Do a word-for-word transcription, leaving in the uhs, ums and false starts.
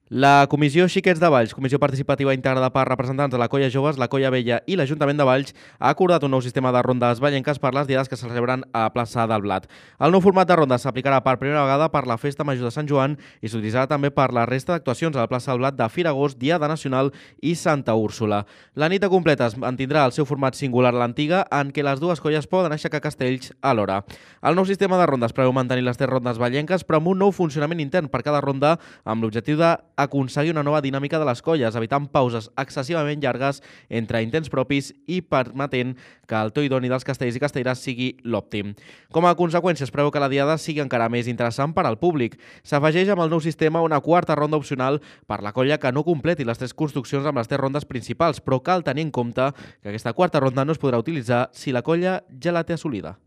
La Comissió Xiquets de Valls, comissió participativa integrada per representants de la Colla Joves, la Colla Vella i l'Ajuntament de Valls, ha acordat un nou sistema de rondes vallenques per les diades que se celebren a la plaça del Blat. El nou format de rondes s'aplicarà per primera vegada per la Festa Major de Sant Joan i s'utilitzarà també per la resta d'actuacions a la plaça del Blat de Fira Agost, Diada Nacional i Santa Úrsula. La nit de completes mantindrà el seu format singular a l'antiga, en què les dues colles poden aixecar castells alhora. El nou sistema de rondes preveu mantenir les tres rondes vallenques, però amb un nou funcionament intern per cada ronda, amb l'objectiu de aconseguir una nova dinàmica de les colles, evitant pauses excessivament llargues entre intents propis i permetent que el to idoni dels castells i castelleres sigui l'òptim. Com a conseqüència, es preveu que la diada sigui encara més interessant per al públic. S'afegeix amb el nou sistema una quarta ronda opcional per la colla que no completi les tres construccions amb les tres rondes principals, però cal tenir en compte que aquesta quarta ronda no es podrà utilitzar si la colla ja la té assolida.